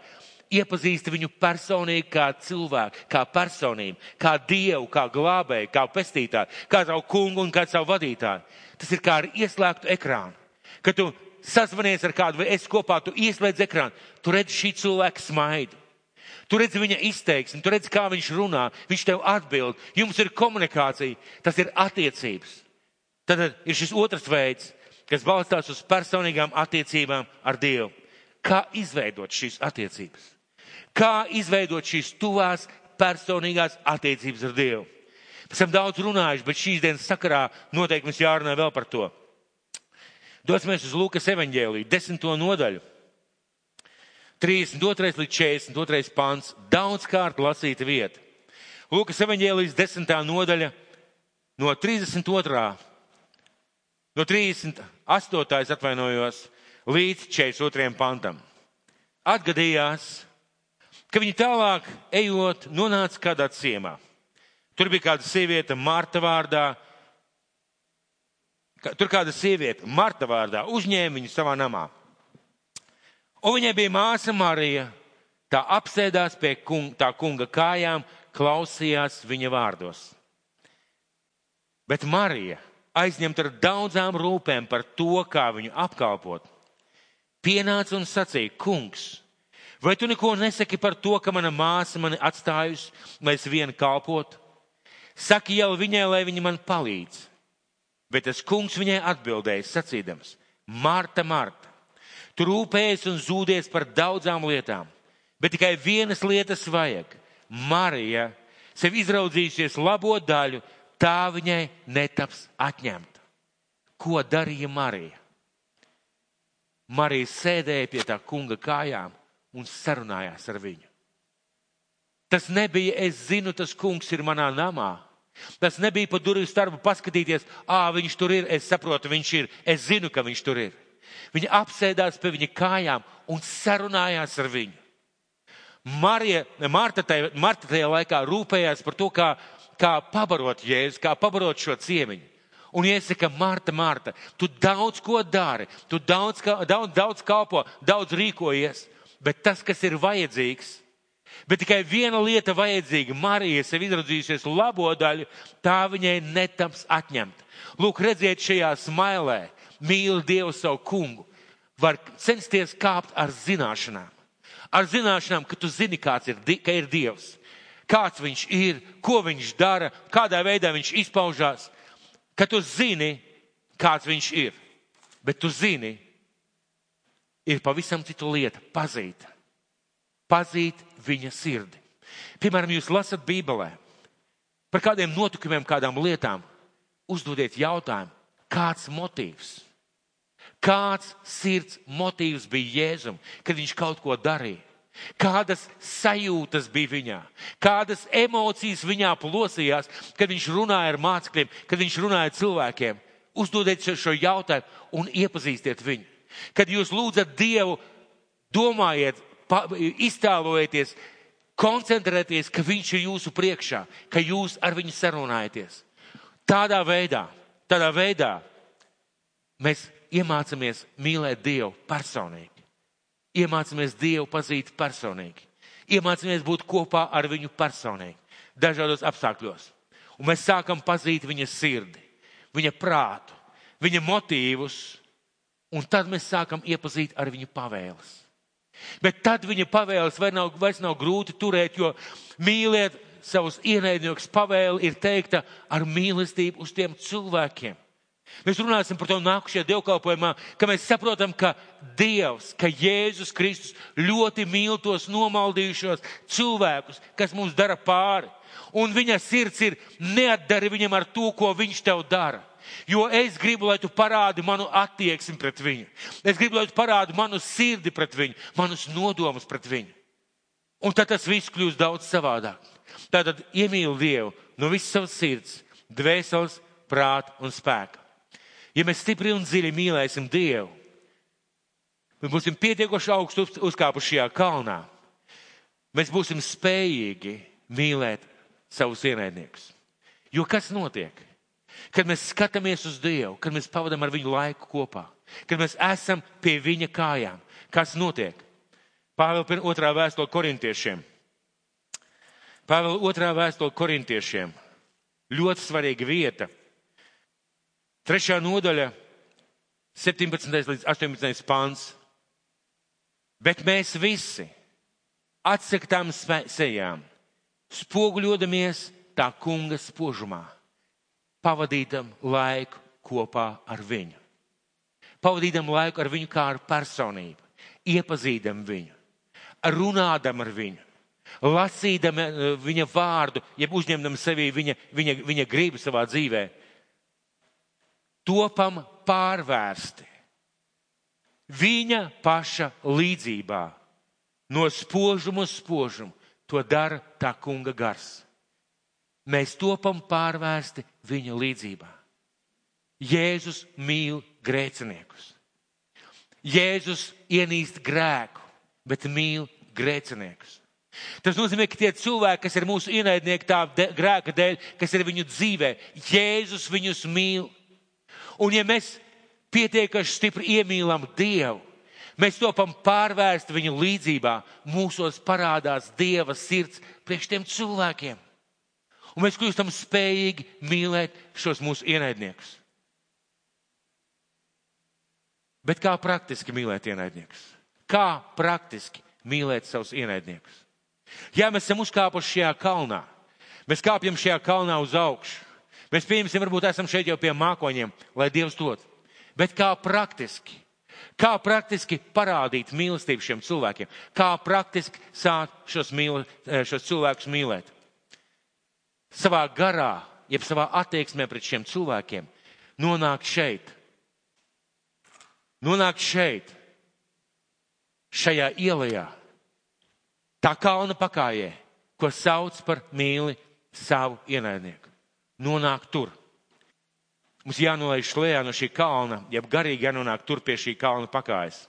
iepazīsti viņu personīgi kā cilvēku, kā personību, kā Dievu, kā glābēju, kā pestītāju, kā savu kungu un kā savu vadītāju. Tas ir kā ar ieslēgtu ekrānu. Kad tu sazvanies ar kādu vai esi kopā, tu ieslēdz ekrānu, tu redzi šī cilvēka smaidu. Tu redzi viņa izteiksmi, tu redzi, kā viņš runā, viņš tev atbild, jums ir komunikācija, tas ir attiecības. Tad ir šis otrs veids, kas balstās uz personīgām attiecībām ar Dievu. Kā izveidot šīs attiecības? Kā izveidot šīs tuvās personīgās attiecības ar Dievu? Mēs esam daudz runājuši, bet šīs dienas sakarā noteikti mums jārunā vēl par to. Dosimies uz Lūkas evaņģēliju, 10. nodaļu, 32. līdz 42. pants, daudzkārt lasīta vieta. Lūkas evaņģēlijas 10. nodaļa, no 32. no 38. atvainojos, līdz 42. pantam. Atgadījās, ka viņi tālāk ejot nonāca kādā ciemā. Tur bija kāda sieviete Marta vārdā, uzņēma viņu savā namā. Un viņai bija māsa Marija, tā apsēdās pie tā kunga kājām, klausījās viņa vārdos. Bet Marija, aizņemta ar daudzām rūpēm par to, kā viņu apkalpot, pienāca un sacīja: Kungs, vai tu neko nesaki par to, ka mana māsa mani atstājusi, lai es viena kalpotu? Saki jau viņai, lai viņa man palīdz. Bet tas kungs viņai atbildēja, sacīdams: Marta, Marta, tu rūpējies un zūdies par daudzām lietām, bet tikai vienas lietas vajag. Marija sev izraudzījusies labo daļu, tā viņai netaps atņemta. Ko darīja Marija? Marija sēdēja pie tā kunga kājām un sarunājās ar viņu. Tas nebija, es zinu, tas kungs ir manā namā. Tas nebija pa durvju starpu paskatīties, viņš tur ir, es saprotu, viņš ir, es zinu, ka viņš tur ir. Viņa apsēdās pie viņa kājām un sarunājās ar viņu. Marta tajā laikā rūpējās par to, kā pabarot Jēzus, kā pabarot šo ciemiņu. Un iesaka: Marta, Marta, tu daudz ko dari, tu daudz kalpo, daudz rīkojies, bet tas, kas ir vajadzīgs, bet tikai viena lieta vajadzīga. Marija sev izraudzījusies labo daļu, tā viņai netaps atņemta. Lūk, redziet, šajā smailē mīli Dievu savu kungu, var censties kāpt ar zināšanām. Ar zināšanām, ka tu zini, ka ir Dievs, kāds viņš ir, ko viņš dara, kādā veidā viņš izpaužās, ka tu zini, kāds viņš ir. Bet tu zini, ir pavisam citu lieta - pazīt viņa sirdi. Piemēram, jūs lasat Bībelē par kādiem notikumiem, kādām lietām, uzdodiet jautājumu, kāds motīvs? Kāds sirds motīvs bija Jēzum, kad viņš kaut ko darīja? Kādas sajūtas bija viņā? Kādas emocijas viņā plosījās, kad viņš runāja ar mācekļiem, kad viņš runāja ar cilvēkiem? Uzdodiet šo jautājumu un iepazīstiet viņu. Kad jūs lūdzat Dievu, domājiet, iztēlojieties, koncentrēties, ka viņš ir jūsu priekšā, ka jūs ar viņu sarunājaties. Tādā veidā mēs iemācāmies mīlēt Dievu personīgi. Iemācāmies Dievu pazīt personīgi. Iemācāmies būt kopā ar viņu personīgi, dažādos apstākļos. Un mēs sākam pazīt viņa sirdi, viņa prātu, viņa motīvus, un tad mēs sākam iepazīt ar viņu pavēles. Bet tad viņa pavēles vairs nav grūti turēt, jo mīliet savus ienaidniekus pavēle ir teikta ar mīlestību uz tiem cilvēkiem. Mēs runāsim par to nākušajā dievkalpojumā, ka mēs saprotam, ka Dievs, ka Jēzus Kristus ļoti mīl tos nomaldījušos cilvēkus, kas mums dara pāri. Un viņa sirds ir neatdari viņam ar to, ko viņš tev dara. Jo es gribu, lai tu parādi manu attieksmi pret viņu. Es gribu, lai tu parādi manu sirdi pret viņu, manus nodomus pret viņu. Un tad tas viss kļūst daudz savādāk. Tātad iemīli Dievu no visas savas sirds, dvēseles, prāta un spēka. Ja mēs stipri un dziļi mīlēsim Dievu, mēs būsim pietiekoši augstu uzkāpuši šajā kalnā, mēs būsim spējīgi mīlēt savus ienaidniekus. Jo kas notiek? Kad mēs skatāmies uz Dievu, kad mēs pavadām ar viņu laiku kopā, kad mēs esam pie viņa kājām, kas notiek? Pāvela 2. vēstule Korintiešiem. Pāvela 2. vēstule Korintiešiem. Ļoti svarīga vieta. 3. nodaļa, 17. līdz 18. pants. Bet mēs visi atsektām sejām, spoguļodamies tā kunga spožumā, pavadītam laiku kopā ar viņu. Pavadītam laiku ar viņu kā ar personību, iepazīdam viņu, runādam ar viņu, lasīdam viņa vārdu, jeb uzņemdam sevī viņa gribu savā dzīvē. Topam pārvērsti viņa paša līdzībā, no spožuma uz spožumu. To dara tā kunga gars. Mēs topam pārvērsti viņa līdzībā. Jēzus mīl grēciniekus. Jēzus ienīst grēku, bet mīl grēciniekus. Tas nozīmē, ka tie cilvēki, kas ir mūsu ienaidnieki tā grēka dēļ, kas ir viņu dzīvē, Jēzus viņus mīl. Un ja mēs pietiekaši stipri iemīlam Dievu, mēs topam pārvērst viņu līdzībā, mūsos parādās Dieva sirds priekš tiem cilvēkiem. Un mēs kļūstam spējīgi mīlēt šos mūsu ienaidniekus. Bet kā praktiski mīlēt ienaidniekus? Kā praktiski mīlēt savus ienaidniekus? Ja mēs esam uzkāpuši šajā kalnā, mēs kāpjam šajā kalnā uz augšu, mēs pieņemsim, varbūt esam šeit jau pie mākoņiem, lai Dievs dod. Bet kā praktiski? Kā praktiski parādīt mīlestību šiem cilvēkiem? Kā praktiski sākt šos cilvēkus mīlēt? Savā garā, jeb savā attieksmē pret šiem cilvēkiem, nonākt šeit. Nonākt šeit, šajā ielajā, tā kalna pakājē, ko sauc par mīli savu ienaidnieku. Nonākt tur. Mums jānolaiž lejā no šī kalna, jeb garīgi jānonāk tur pie šī kalna pakājas.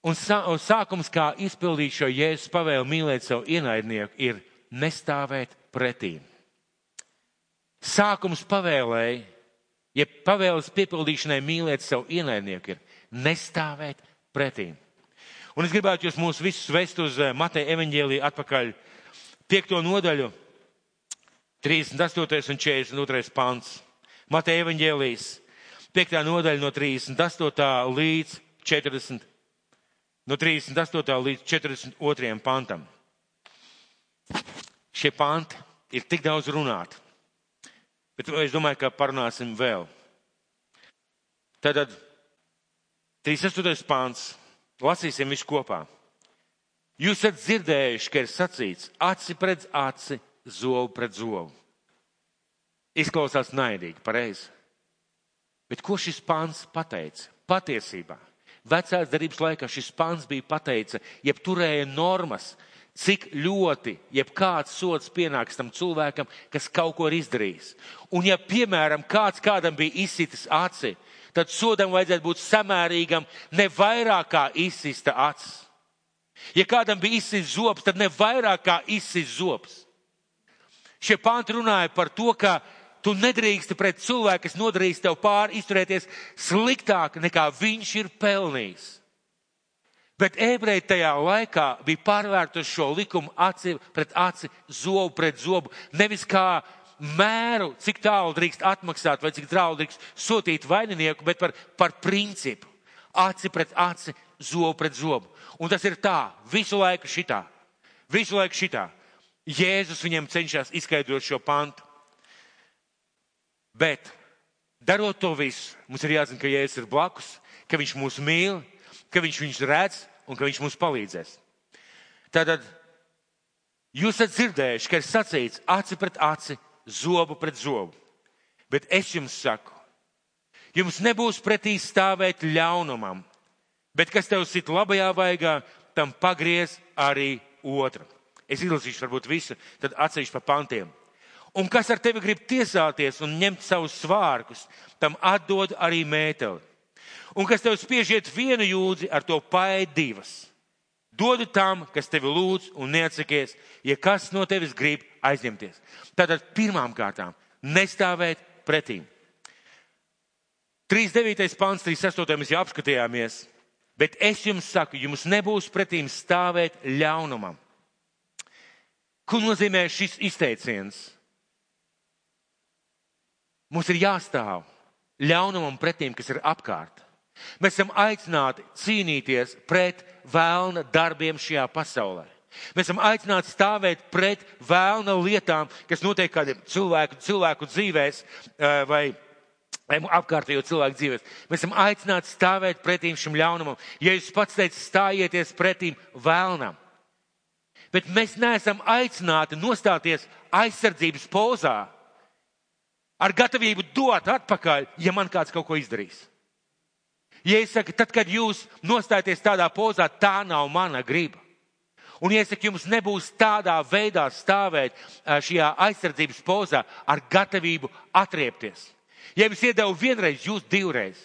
Un sākums, kā izpildīt šo Jēzus pavēli mīlēt savu ienaidnieku, ir nestāvēt pretī. Sākums pavēlēji, jeb pavēles piepildīšanai mīlēt savu ienaidnieku, ir nestāvēt pretī. Un es gribētu jūs mūs visus vest uz Mateja evaņģēliju atpakaļ 5. nodaļu, 38. un 42. pants. Mateja evaņģēlijs, 5. nodaļa no 38. līdz 40. No 38. līdz 42. pantam. Šie panti ir tik daudz runāti, bet es domāju, ka parunāsim vēl. Tātad 38. pants. Lasīsim visu kopā. Jūs esat dzirdējuši, ka ir sacīts aci pret aci, zobu pret zobu. Izklausās naidīgi, pareizi. Bet ko šis pants pateica? Patiesībā, vecās darbības laikā šis pants bija pateica, jeb turēja normas, cik ļoti, jeb kāds sods pienāks tam cilvēkam, kas kaut ko ir izdarījis. Un ja, piemēram, kādam bija izsitis aci, tad sodam vajadzētu būt samērīgam, ne vairāk kā izsista acis. Ja kādam bija izsists zobs, tad ne vairāk kā izsists zobs. Šie panti runāja par to, ka tu nedrīksti pret cilvēku, kas nodarīs tev pāri, izturēties sliktāk nekā viņš ir pelnījis. Bet ebreji tajā laikā bija pārvērtuši šo likumu aci pret aci, zobu pret zobu, nevis kā mēru, cik tālu drīkst atmaksāt vai cik tālu drīkst sūtīt vaininieku, bet par principu. Aci pret aci, zobu pret zobu. Un tas ir tā, visu laiku šitā. Visu laiku šitā. Jēzus viņiem cenšas izskaidrot šo pantu. Bet, darot to visu, mums ir jāzina, ka Jēzus ir blakus, ka viņš mūs mīl, ka viņš viņus redz un ka viņš mums palīdzēs. Tātad, jūs esat dzirdējuši, ka ir sacīts aci pret aci, zobu pret zobu. Bet es jums saku, jums nebūs pretī stāvēt ļaunumam, bet kas tev sit labajā vaigā, tam pagriez arī otru. Es izlasīšu varbūt visu, tad atsevišķi pa pantiem. Un kas ar tevi grib tiesāties un ņemt savus svārkus, tam atdod arī mēteli. Un kas tev spiežiet vienu jūdzi, ar to paēd divas. Dodu tam, kas tevi lūdz un neatsakies, ja kas no tevis grib aizņemties. Tātad pirmām kārtām nestāvēt pretīm. 39. pants, 38. mēs jau apskatījāmies, bet es jums saku, jums nebūs pretīm stāvēt ļaunumam. Ko nozīmē šis izteiciens? Mums ir jāstāv ļaunumam pretīm, kas ir apkārt. Mēs esam aicināti cīnīties pret vēlna darbiem šajā pasaulē. Mēs esam aicināti stāvēt pret vēlna lietām, kas notiek kādiem cilvēku dzīvēs vai apkārtējo cilvēku dzīvēs. Mēs esam aicināti stāvēt pretīm šim ļaunumam. Ja jūs pats teicat, stājieties pretīm vēlnam. Bet mēs neesam aicināti nostāties aizsardzības pozā ar gatavību dot atpakaļ, ja man kāds kaut ko izdarīs. Ja es saku, tad, kad jūs nostājaties tādā pozā, tā nav mana griba. Un ja es saku, jums nebūs tādā veidā stāvēt šajā aizsardzības pozā ar gatavību atriepties. Ja jums iedevu vienreiz, jūs divreiz.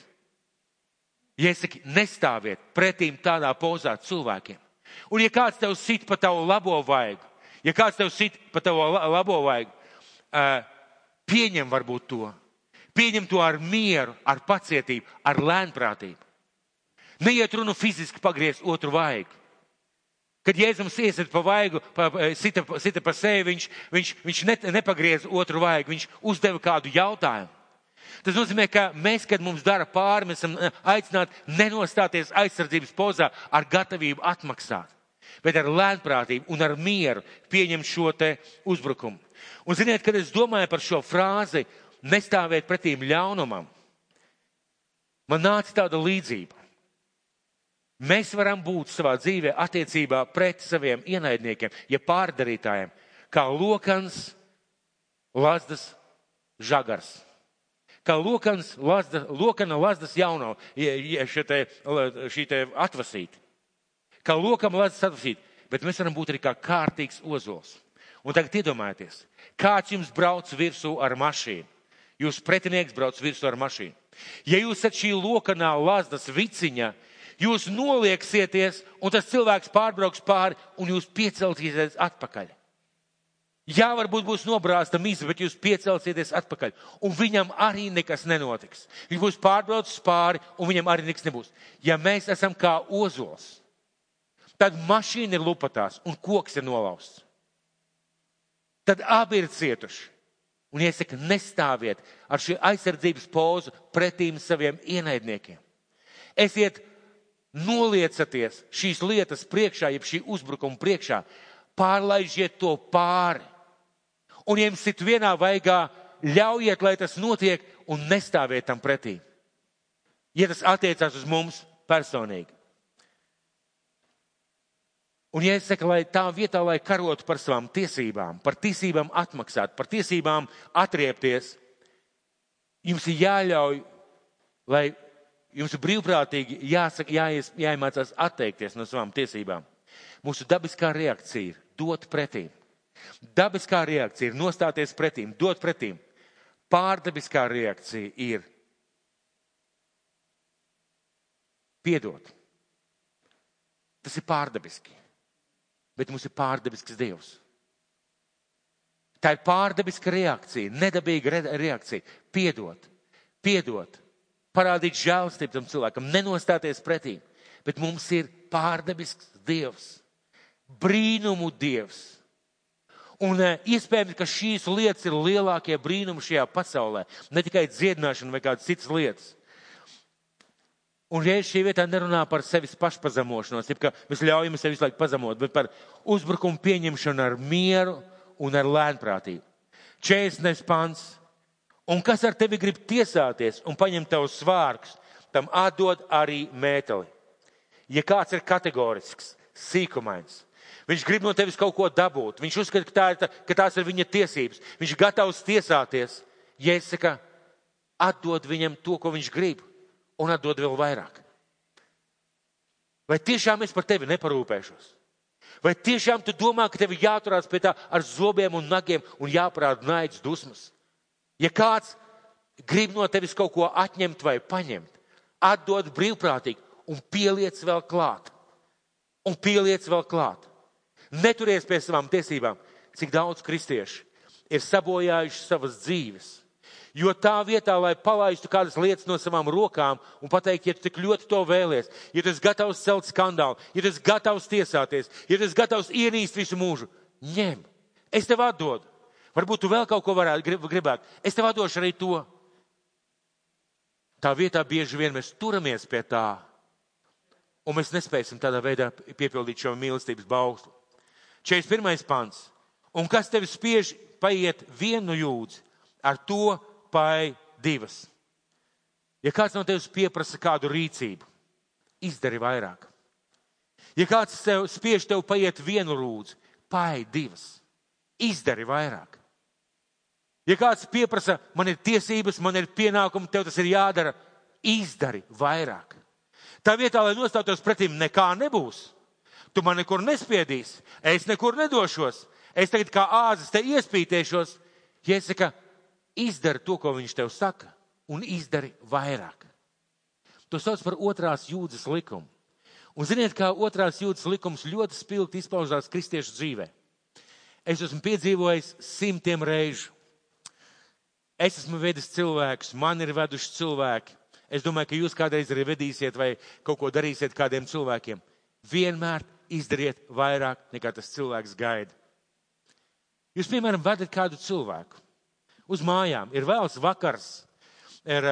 Ja es saku, nestāviet pretīm tādā pozā cilvēkiem. Un ja kāds tev sit pa tavu labo vaigu, pieņem varbūt to. Pieņem to ar mieru, ar pacietību, ar lēnprātību. Neiet runu fiziski pagriezt otru vaigu. Kad Jēzums iesit pa vaigu, sita pa sevi, viņš nepagriez otru vaigu, viņš uzdeva kādu jautājumu. Tas nozīmē, ka mēs, kad mums dara pāri, mēs esam aicināti nenostāties aizsardzības pozā ar gatavību atmaksāt, bet ar lēnprātību un ar mieru pieņemt šo te uzbrukumu. Un ziniet, kad es domāju par šo frāzi, nestāvēt pretīm ļaunumam, man nāca tāda līdzība. Mēs varam būt savā dzīvē attiecībā pret saviem ienaidniekiem, ja pārdarītājiem, kā lokans, lazdas žagars. Kā lokana lazdas jauno, šī te atvasīti. Kā lokam lazdas atvasīti, bet mēs varam būt arī kā kārtīgs ozols. Un tagad iedomājieties, kāds jums brauc virsū ar mašīnu. Jūs pretinieks brauc virsū ar mašīnu. Ja jūs esat šī lokanā lazdas viciņa, jūs nolieksieties un tas cilvēks pārbrauks pāri un jūs piecelsieties atpakaļ. Jā, varbūt būs nobrāzta miza, bet jūs piecelsieties atpakaļ. Un viņam arī nekas nenotiks. Viņš būs pārbraucis pāri un viņam arī nekas nebūs. Ja mēs esam kā ozols, tad mašīna ir lupatās un koks ir nolausts. Tad abi ir cietuši. Un iesaka, nestāviet ar šī aizsardzības pozu pretīm saviem ienaidniekiem. Esiet noliecaties šīs lietas priekšā, jeb šī uzbrukuma priekšā, pārlaižiet to pāri. Un ja jums sit vienā vaigā, ļaujiet, lai tas notiek un nestāviet tam pretī. Ja tas attiecās uz mums personīgi. Un ja es saku, lai tā vietā, lai karotu par savām tiesībām, par tiesībām atmaksāt, par tiesībām atriepties, jums ir jāļauj, lai jums ir brīvprātīgi jāiemācās atteikties no savām tiesībām. Mūsu dabiskā reakcija ir dot pretīm. Dabiskā reakcija ir nostāties pretīm, dot pretīm. Pārdabiskā reakcija ir piedot. Tas ir pārdabiski. Bet mums ir pārdabisks Dievs. Tā ir pārdabiska reakcija, nedabīga reakcija. Piedot, parādīt žēlstību tam cilvēkam, nenostāties pretī. Bet mums ir pārdabisks Dievs, brīnumu Dievs. Un iespējams, ka šīs lietas ir lielākie brīnumi šajā pasaulē, ne tikai dziedināšana vai kādas citas lietas. Un šī vietā nerunā par sevis pašpazemošanos, ka mēs ļaujam sevi visu laiku pazemot, bet par uzbrukumu pieņemšanu ar mieru un ar lēnprātību. 40. pants. Un kas ar tevi grib tiesāties un paņemt tavus svārkus, tam atdod arī mēteli. Ja kāds ir kategorisks, sīkumains, viņš grib no tevis kaut ko dabūt, viņš uzskata, ka tās ir viņa tiesības, viņš ir gatavs tiesāties, Jēzus atdod viņam to, ko viņš grib, un atdod vēl vairāk. Vai tiešām es par tevi neparūpēšos? Vai tiešām tu domā, ka tevi jāturās pie tā ar zobiem un nagiem un jāparāda naids dusmas? Ja kāds grib no tevis kaut ko atņemt vai paņemt, atdod brīvprātīgi un pieliec vēl klāt. Un pieliec vēl klāt. Neturies pie savām tiesībām, cik daudz kristieši ir sabojājuši savas dzīves. Jo tā vietā, lai palaistu kādas lietas no savām rokām un pateikt, ja tu tik ļoti to vēlies, ja tu esi gatavs celt skandālu, ja tu esi gatavs tiesāties, ja tu esi gatavs ienīst visu mūžu, ņem, es tev atdodu. Varbūt tu vēl kaut ko varētu gribēt, es tev atdošu arī to. Tā vietā bieži vien mēs turamies pie tā, un mēs nespēsim tādā veidā piepildīt šo mīlestības bauslu. 41. pants. Un kas tevi spiež paiet vienu jūdzi, ar to pai divas. Ja kāds no tevis pieprasa kādu rīcību, izdari vairāk. Ja kāds spiež tev paiet vienu rūdzi, pai divas. Izdari vairāk. Ja kāds pieprasa, man ir tiesības, man ir pienākumi, tev tas ir jādara, izdari vairāk. Tā vietā, lai nostātos pretim, nekā nebūs. Tu man nekur nespiedīsi, es nekur nedošos, es tagad kā āzis te iespītēšos. Jēzus saka, izdari to, ko viņš tev saka, un izdari vairāk. To sauc par otrās jūdzes likumu. Un ziniet, kā otrās jūdzes likums ļoti spilgti izpaužās kristiešu dzīvē. Es esmu piedzīvojis 100 reižu. Es esmu vedis cilvēkus, man ir veduši cilvēki. Es domāju, ka jūs kādreiz arī vedīsiet vai kaut ko darīsiet kādiem cilvēkiem. Vienmēr izdariet vairāk, nekā tas cilvēks gaida. Jūs, piemēram, vedat kādu cilvēku uz mājām. Ir vēls vakars, ir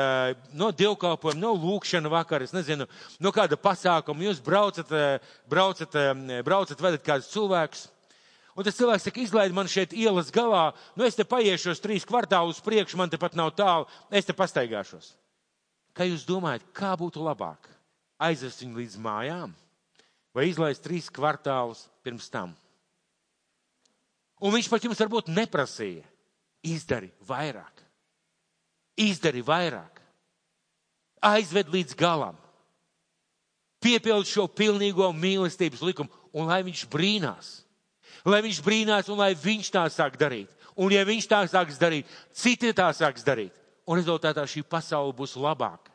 no dievkalpojuma, no lūkšana vakara, es nezinu, no kāda pasākuma. Jūs braucat, vedat kādus cilvēkus. Un tas cilvēks saka, izlaid man šeit ielas galā, es te paiešos 3 kvartālus priekš, man te pat nav tālu, es te pastaigāšos. Kā jūs domājat, kā būtu labāk? Aizvest viņu līdz mājām vai izlaist 3 kvartālus pirms tam? Un viņš pat jums varbūt neprasīja. Izdari vairāk. Izdari vairāk. Aizved līdz galam. Piepildi šo pilnīgo mīlestības likumu un lai viņš brīnās. Lai viņš brīnās un lai viņš tā sāk darīt. Un ja viņš tā sāks darīt, citi tā sāks darīt. Un rezultātā šī pasaule būs labāka.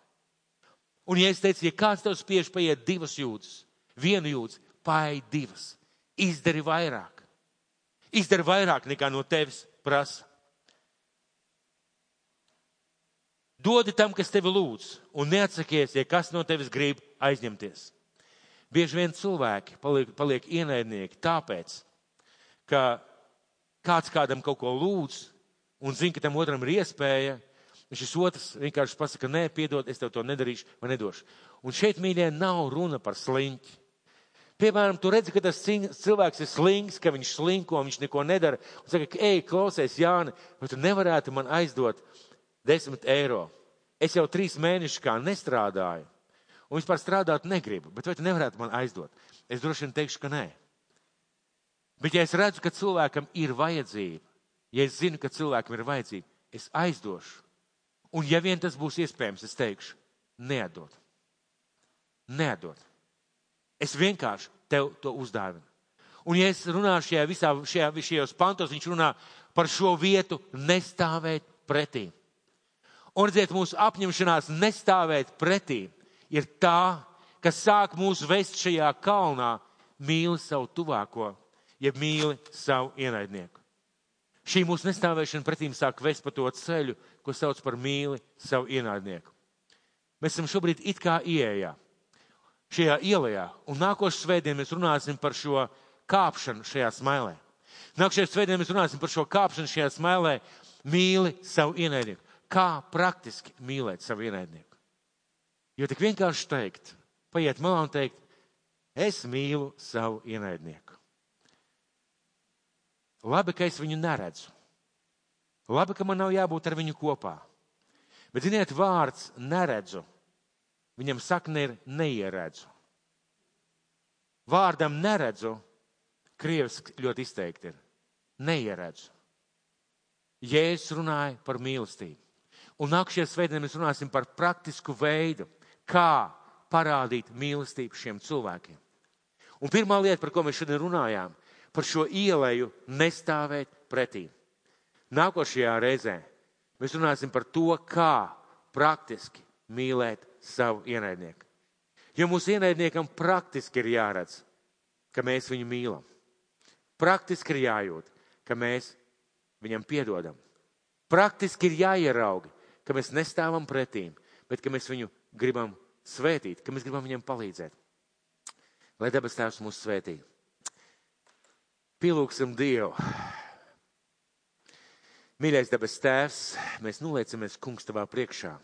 Un ja es teicu, ja kāds tev spiež paiet 2 jūdzes, 1 jūdzi, paej 2. Izdari vairāk. Izdari vairāk nekā no tevis prasa. Dodi tam, kas tevi lūdz, un neatsakies, ja kas no tevis grib aizņemties. Bieži vien cilvēki paliek ienaidnieki tāpēc, ka kāds kādam kaut ko lūdz un zina, ka tam otram ir iespēja, un šis otrs vienkārši pasaka, nē, piedod, es tev to nedarīšu vai nedošu. Un šeit, mīļie, nav runa par sliņķi. Piemēram, tu redzi, ka tas cilvēks ir slings, ka viņš slinko, viņš neko nedara, un saka, ej, klausies, Jāni, vai tu nevarētu man aizdot 10 eiro? Es jau 3 mēnešus kā nestrādāju, un vispār strādāt negribu, bet vai tu nevarētu man aizdot? Es droši vien teikšu, ka nē. Bet ja es redzu, ka cilvēkam ir vajadzība, ja es zinu, ka cilvēkam ir vajadzība, es aizdošu. Un ja vien tas būs iespējams, es teikšu, neatdod. Neatdod. Es vienkārši tev to uzdāvinu. Un ja es runāšu šajos pantos, viņš runā par šo vietu nestāvēt pretī. Un redziet, mūsu apņemšanās nestāvēt pretī ir tā, kas sāk mūs vest šajā kalnā, mīli savu tuvāko, ja mīli savu ienaidnieku. Šī mūsu nestāvēšana pretīm sāk vest pa to ceļu, ko sauc par mīli savu ienaidnieku. Mēs esam šobrīd it kā ieejā. šajā ielajā. Un nākošais svētdien mēs runāsim par šo kāpšanu šajā smailē. Nākošais svētdien mēs runāsim par šo kāpšanu šajā smailē. Mīli savu ienaidnieku. Kā praktiski mīlēt savu ienaidnieku? Jo tik vienkārši teikt, paiet malā un teikt, es mīlu savu ienaidnieku. Labi, ka es viņu neredzu. Labi, ka man nav jābūt ar viņu kopā. Bet, ziniet, vārds neredzu, viņam sakne ir neieredzu. Vārdam neredzu, krieviski ļoti izteikti ir. Neieredzu. Jēzus runāja par mīlestību. Un nākamajā svētdienā mēs runāsim par praktisku veidu, kā parādīt mīlestību šiem cilvēkiem. Un pirmā lieta, par ko mēs šodien runājām, par šo ieleju nestāvēt pretī. Nākošajā reizē mēs runāsim par to, kā praktiski mīlēt savu ienaidnieku. Jo mūsu ienaidniekam praktiski ir jāredz, ka mēs viņu mīlam. Praktiski ir jājūt, ka mēs viņam piedodam. Praktiski ir jāierauga, ka mēs nestāvam pretīm, bet ka mēs viņu gribam svētīt, ka mēs gribam viņam palīdzēt. Lai debes Tēvs mūs svētī. Pielūgsim Dievu. Mīļais debes Tēvs, mēs noliecamies, Kungs, Tavā priekšā.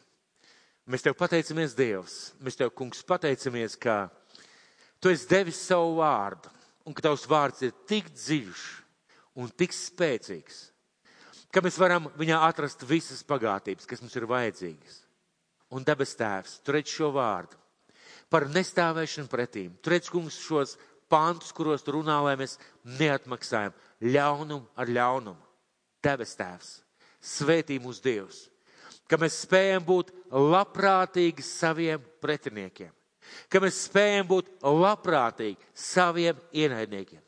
Mēs Tev pateicamies, Dievs. Mēs Tev, Kungs, pateicamies, ka Tu esi devis savu vārdu un ka Tavs vārds ir tik dziļš un tik spēcīgs, ka mēs varam viņā atrast visas bagātības, kas mums ir vajadzīgas. Un debes Tēvs, Tu redz šo vārdu par nestāvēšanu pretīm. Tu redz, Kungs, šos pantus, kuros Tu runā, lai mēs neatmaksājam ļaunumu ar ļaunumu. Debes Tēvs, svētī mūs Dievs, ka mēs spējam būt labprātīgi saviem pretiniekiem, ka mēs spējam būt labprātīgi saviem ienaidniekiem,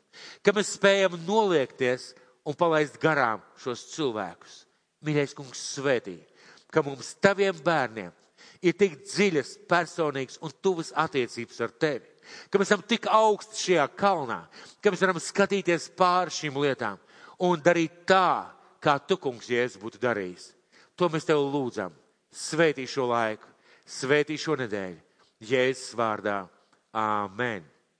ka mēs spējam noliekties un palaist garām šos cilvēkus. Mīļais Kungs, svētī, ka mums Taviem bērniem ir tik dziļas, personīgas un tuvas attiecības ar Tevi, ka mēs esam tik augsti šajā kalnā, ka mēs varam skatīties pāri šīm lietām un darīt tā, kā Tu, Kungs, Jēzus būtu darījis. To mēs Tev lūdzam. Svētī šo laiku, svētī šo nedēļu. Jēzus vārdā. Āmen.